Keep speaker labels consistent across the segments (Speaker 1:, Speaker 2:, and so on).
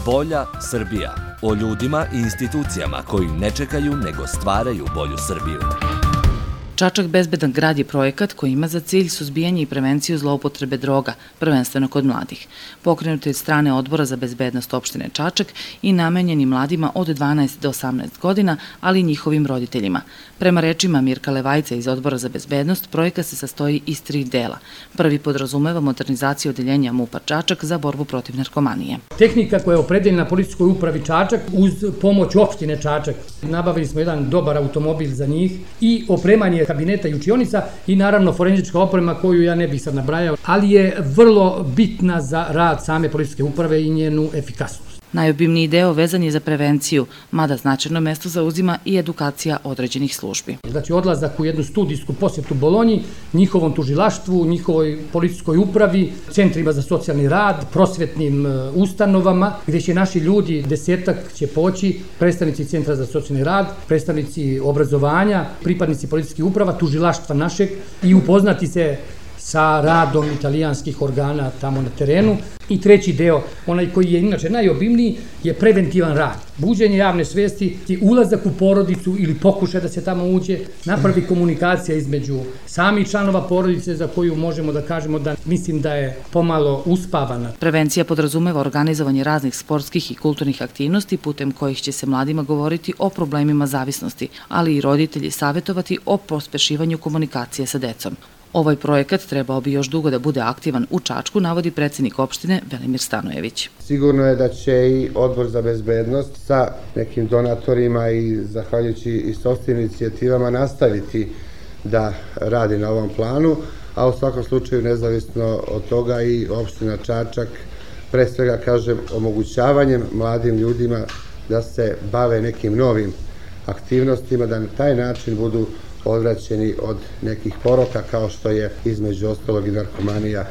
Speaker 1: Bolja Srbija. O ljudima i institucijama koji ne čekaju nego stvaraju bolju Srbiju.
Speaker 2: Čačak bezbedan grad je projekat koji ima za cilj suzbijanje i prevenciju zloupotrebe droga, prvenstveno kod mladih. Pokrenut je od strane Odbora za bezbednost opštine Čačak i namenjeni mladima od 12 do 18 godina, ali i njihovim roditeljima. Prema rečima Mirka Levajca iz Odbora za bezbednost, projekat se sastoji iz 3 dela. Prvi podrazumeva modernizaciju odeljenja MUP-a Čačak za borbu protiv narkomanije.
Speaker 3: Tehnika koja je opredeljena policijskoj upravi Čačak uz pomoć opštine Čačak. Nabavili smo jedan dobar automobil za njih i opremanje kabineta i učionica i naravno forenzička oprema koju ja ne bih sad nabrajao, ali je vrlo bitna za rad same policijske uprave i njenu efikasnost.
Speaker 2: Najobimniji deo vezan je za prevenciju, mada značajno mesto zauzima i edukacija određenih službi.
Speaker 3: Znači odlazak u jednu studijsku posjetu Bolonji, njihovom tužilaštvu, njihovoj policijskoj upravi, centrima za socijalni rad, prosvetnim ustanovama, gdje će naši ljudi, 10-ak će poći, predstavnici centra za socijalni rad, predstavnici obrazovanja, pripadnici policijskih uprava, tužilaštva našeg i upoznati se sa radom italijanskih organa tamo na terenu. I treći deo, onaj koji je inače najobimniji, je preventivan rad. Buđenje javne svesti, ulazak u porodicu ili pokušaj da se tamo uđe, napravi komunikacija između samih članova porodice za koju možemo da kažemo da mislim da je pomalo uspavana.
Speaker 2: Prevencija podrazumeva organizovanje raznih sportskih i kulturnih aktivnosti putem kojih će se mladima govoriti o problemima zavisnosti, ali i roditelji savjetovati o pospešivanju komunikacije sa decom. Ovaj projekat trebao bi još dugo da bude aktivan u Čačku, navodi predsjednik opštine Velimir Stanojević.
Speaker 4: Sigurno je da će i Odbor za bezbednost sa nekim donatorima i zahvaljujući i sopstvenim inicijativama nastaviti da radi na ovom planu, a u svakom slučaju nezavisno od toga i opština Čačak, pre svega kažem omogućavanjem mladim ljudima da se bave nekim novim aktivnostima, da na taj način budu odvraćeni od nekih poroka kao što je između ostalog i narkomanija.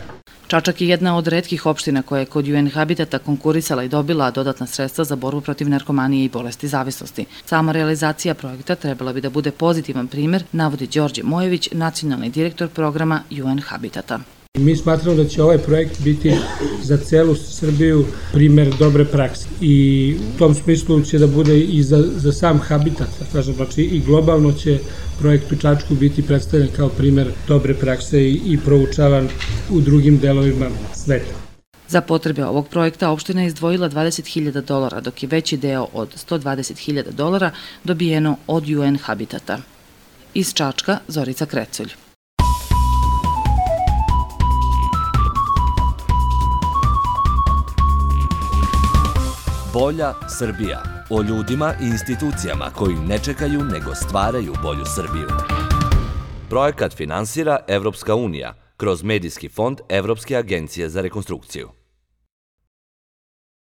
Speaker 2: Čačak je jedna od retkih opština koja je kod UN Habitata konkurisala i dobila dodatna sredstva za borbu protiv narkomanije i bolesti zavisnosti. Sama realizacija projekta trebala bi da bude pozitivan primer, navodi Đorđe Mojević, nacionalni direktor programa UN Habitata.
Speaker 5: Mi smatramo da će ovaj projekt biti za celu Srbiju primer dobre prakse i u tom smislu će da bude i za sam habitat, znači i globalno će projekt u Čačku biti predstavljen kao primer dobre prakse i proučavan u drugim delovima sveta.
Speaker 2: Za potrebe ovog projekta opština je izdvojila $20.000, dok je veći deo od $120.000 dobijeno od UN Habitata. Iz Čačka, Zorica Kreculj.
Speaker 1: Bolja Srbija. O ljudima i institucijama koji ne čekaju nego stvaraju bolju Srbiju. Projekat finansira Evropska unija kroz Medijski fond Evropske agencije za rekonstrukciju.